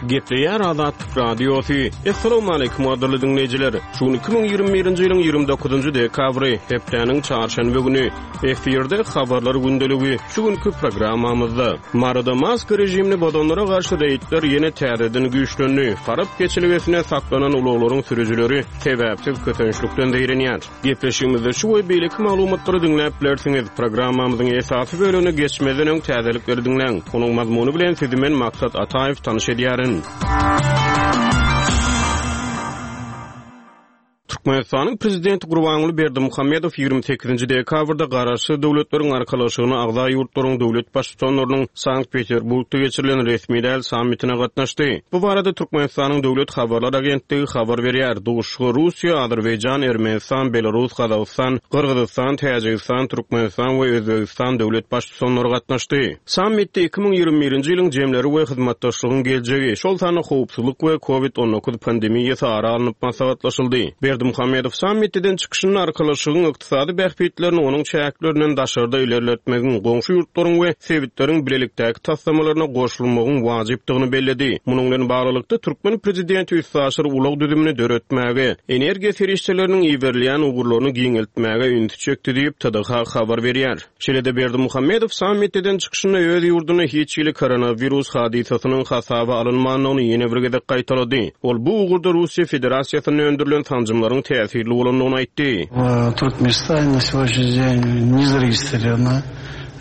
Gepleýär Azatlyk Radiosy. Assalamualaikum gadyrly diňleýjiler. Şu gün 2021-nji ýylyň 29-njy dekabry, hepdäniň çarşenbe güni. Efirde habarlar gündeligi. Şu günki programmamyzda Maryda maska režimini bozanlara garşy reýdler ýene täzeden güýçlendi. Farap geçelgesinde saklanan ulaglaryň sürüjileri sebäpsiz kösençlikden zeýrenýär. Gepleşigimizde şu we beýleki maglumatlary diňläp bilersiňiz. Programmamyzyň esasy bölegine geçmezden öň täzelikleri diňläň. Onuň mazmuny bilen sizi men Maksat Ataýew tanyş edýärin. Türkmenistanyň Prezidenti Gurbanguly Berdimuhamedow 28-nji dekabrda Garaşsyz Döwletleriň Arkalaşygyna agza ýurtlaryň döwlet Baştutanlarynyň Sankt-Peterburgda geçirilen resmi däl sammitine gatnaşdy. Bu barada Türkmenistanyň Döwlet habarlar agentligi habar berýär. Duşuşyga Russiýa, Azerbaýjan, Ermenistan, Belarus, Gazagystan, Gyrgyzystan, Täjigistan, Türkmenistan we Özbegistan döwlet Baştutanlary gatnaşdy. Sammitde 2021-nji ýylyň jemleri we hyzmatdaşlygyň geljegi, şol sanda howpsuzlyk we Covid 19 pandemiýasy ara alnyp maslahatlaşyldy. Berdimuhamedow sammitde eden çykyşynda Arkalaşygyň ykdysady bähbitlerini onuň çäklerinden daşarda ilerletmegiň, goňşy ýurtlaryň we sebitleriň bilelikdäki taslamalaryna goşulmagyň wajypdygyny belledi. Munuň bilen baglylykda, türkmen prezidenti üstaşyr ulag düzümini döretmäge, energiýa serişdeleriniň iberilýän ugurlaryny giňeltmäge ünsi çekdi diýip, TDH habar berýär. Şeýle-de Berdimuhamedow sammitde eden çykyşynda öz ýurdunda hiç hili koronawirus hadysasynyň hasaba alynmandygyny ýene bir gezek gaýtalady. Ol bu ugurda Russiýa Federasiýasynda öndürilen sanjymlaryň täsirli bolandygyny aýtdy. W Türkmenistane na сегодняшний день не зарегистрирована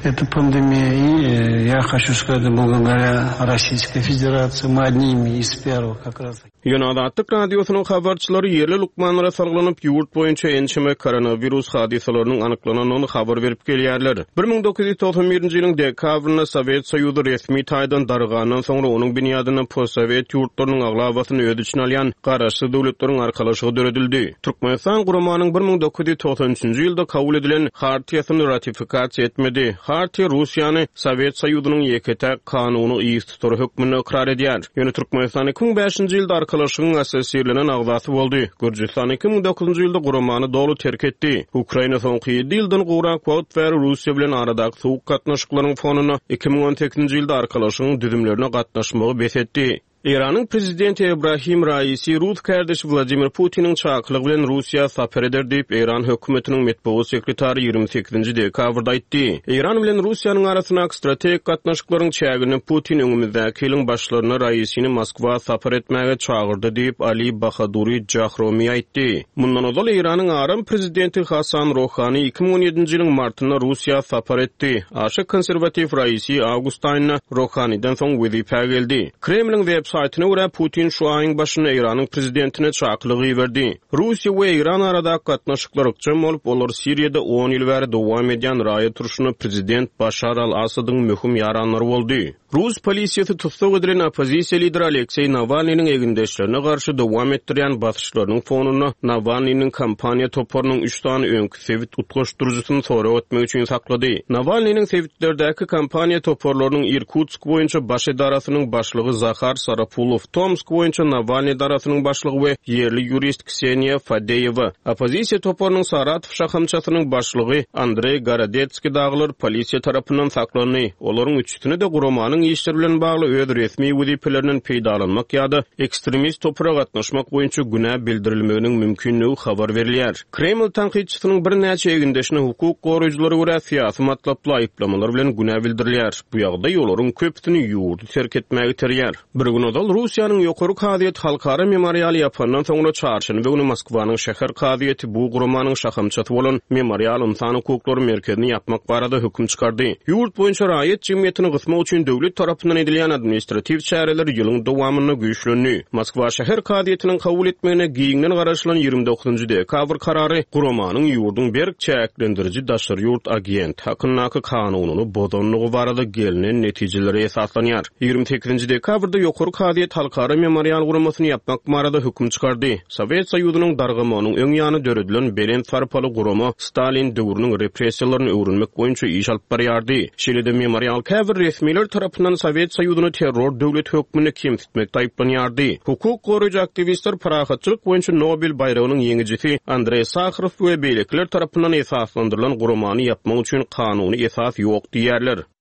эта пандемия и я хочу сказать благодаря Российской Федерации мы одними из первых как раз Ýöne Azatlyk Radiosynyň habarçylary ýerli lukmanlara salgylanyp, ýurt boýunça ençeme koronawirus hadysalarynyň anyklanandygyny habar berip gelýärler. 1991-nji ýylyň dekabrynda Sowet Soýuzy resmi taýdan dargandan soňra onuň binýadynda postsowet ýurtlarynyň aglabasyny öz içine alýan Garaşsyz Döwletleriň Arkalaşygy döredildi. Türkmenistan guramanyň 1993-nji ýylda kabul edilen Hartiýasyny ratifikasiýa etmedi. Hartiýa Russiýany Sowet Soýuzynyň ýeke-täk kanuny yztutary hökmünde ykrar edýär. Ýöne Türkmenistan 2005-nji ýylda Arkalaşygyň assosirlenen agzasy boldy. Gürjüstan 2009-njy ýylda guramany doly terk etdi. Ukraina soňky ýedi ýyldan gowrak wagt bäri Russiýa bilen aradaky sowuk gatnaşyklaryň fonunda 2018-nji ýylda Arkalaşygyň düzümlerine gatnaşmagy bes etdi. Eýranyň prezidenti Ebrahim Raisi rus kärdeşi Wladimir Putiniň çakylygy bilen Russiýa sapar eder diýip, Eýran hökümetiniň metbugat sekretary 28-nji dekabrda aýtdy. Eýran bilen Russiýanyň arasyndaky strategik gatnaşyklaryň çäginde Putin öňümizdäki ýylyň başlarynda Raisini Moskwa sapar etmäge çagyrdy diýip, Ali Bahaduri Jahromi aýtdy. Mundan ozal Eýranyň aram prezidenti Hasan Rohani 2017-nji ýylyň martynda Russiýa sapar etdi. Aşa konserwatiw Raisi awgust aýynda Rohaniden soň wezipä geldi. Kremliň web saýtyna görä, Putin şu aýyň başynda Eýranyň prezidentine çakylyk iberdi. Russiýa we Eýran aradaky gatnaşyklar ykjam bolup, olar Siriýada on ýyl bäri dowam edýän raýat urşunda prezident Başar al-Assadyň möhüm ýaranlary boldy. Rus polisiýasy tussag edilen oppozisiýa lideri Alekseý Nawalnynyň egindeşlerine garşy dowam etdirýän basyşlarynyň fonunda Nawalnynyň kampaniýa toparynyň üç sany öňki sebit utgaşdyryjysyny sorag etmek üçin saklady. Nawalnynyň sebitlerdäki kampaniýa toparlarynyň Irkutsk boýunça baş edarasynyň başlygy Zahar Sarapulow, Tomsk boýunça Nawalnyý edarasynyň başlygy we ýerli ýurist Kseniýa Fadeýewa, oppozisiýa toparynyň Saratow şahamçasynyň başlygy Andreý Gorodetskiý dagylar polisiýa tarapyndan saklandy. Olaryň üçüsine-de guramanyň işleri bilen bagly öz resmi wezipelerinden peýdalanmak ýa-da ekstremist topara gatnaşmak boýunça günä bildirilmeginiň mümkinligi habar berilýär. Kreml tankytçysynyň birnäçe egindeşine hukuk goraýjylara görä syýasy matlaply aýyplamalar bilen günä bildirilýär. Bu ýagdaý olaryň köpüsini ýurdy terk etmäge iterýär. Bir gün ozal Russiýanyň Ýokary kazyýeti Halkara memorialy ýapandan soňra çarşenbe güni Moskwanyň şäher kazyýeti bu guramanyň şahamçasy bolan Memorial ynsan hukuklary merkezini ýapmak barada höküm çykardy. Ýurt boýunça raýat jemgyýetini gysmak üçin döwlet tarapyndan edilýän administratiw çäreler ýylyň dowamynda güýçlendi. Moskwa şäher kazyýetiniň kabul etmegine giňden garaşylan 29-njy dekabr karary guramanyň ýurduň berk çäklendiriji daşary ýurt agenti hakyndaky kanunyny bozandygy barada gelnen netijelere esaslanýar. 28-nji dekabrda Ýokary kazyýet Halkara Memorial guramasyny ýapmak barada höküm çykardy. Sowet Soýuzynyň dargamagynyň öň ýany döredilen belent sarpaly gurama Stalin döwrüniň repressiýalaryny öwrenmek boýunça iş alyp barýardy. Şeýle-de Memorial käbir resmiler tarapyndan Sowet Soýuzyny terror döwleti hökmünde kemsitmekde aýyplanýardy. Hukuk goraýjy aktiwistler parahatçylyk boýunça Nobel baýragynyň ýeňijisi Andreý Saharow we beýlekiler tarapyndan esaslandyrylan guramany ýapmak üçin kanuny esas ýok diýýärler.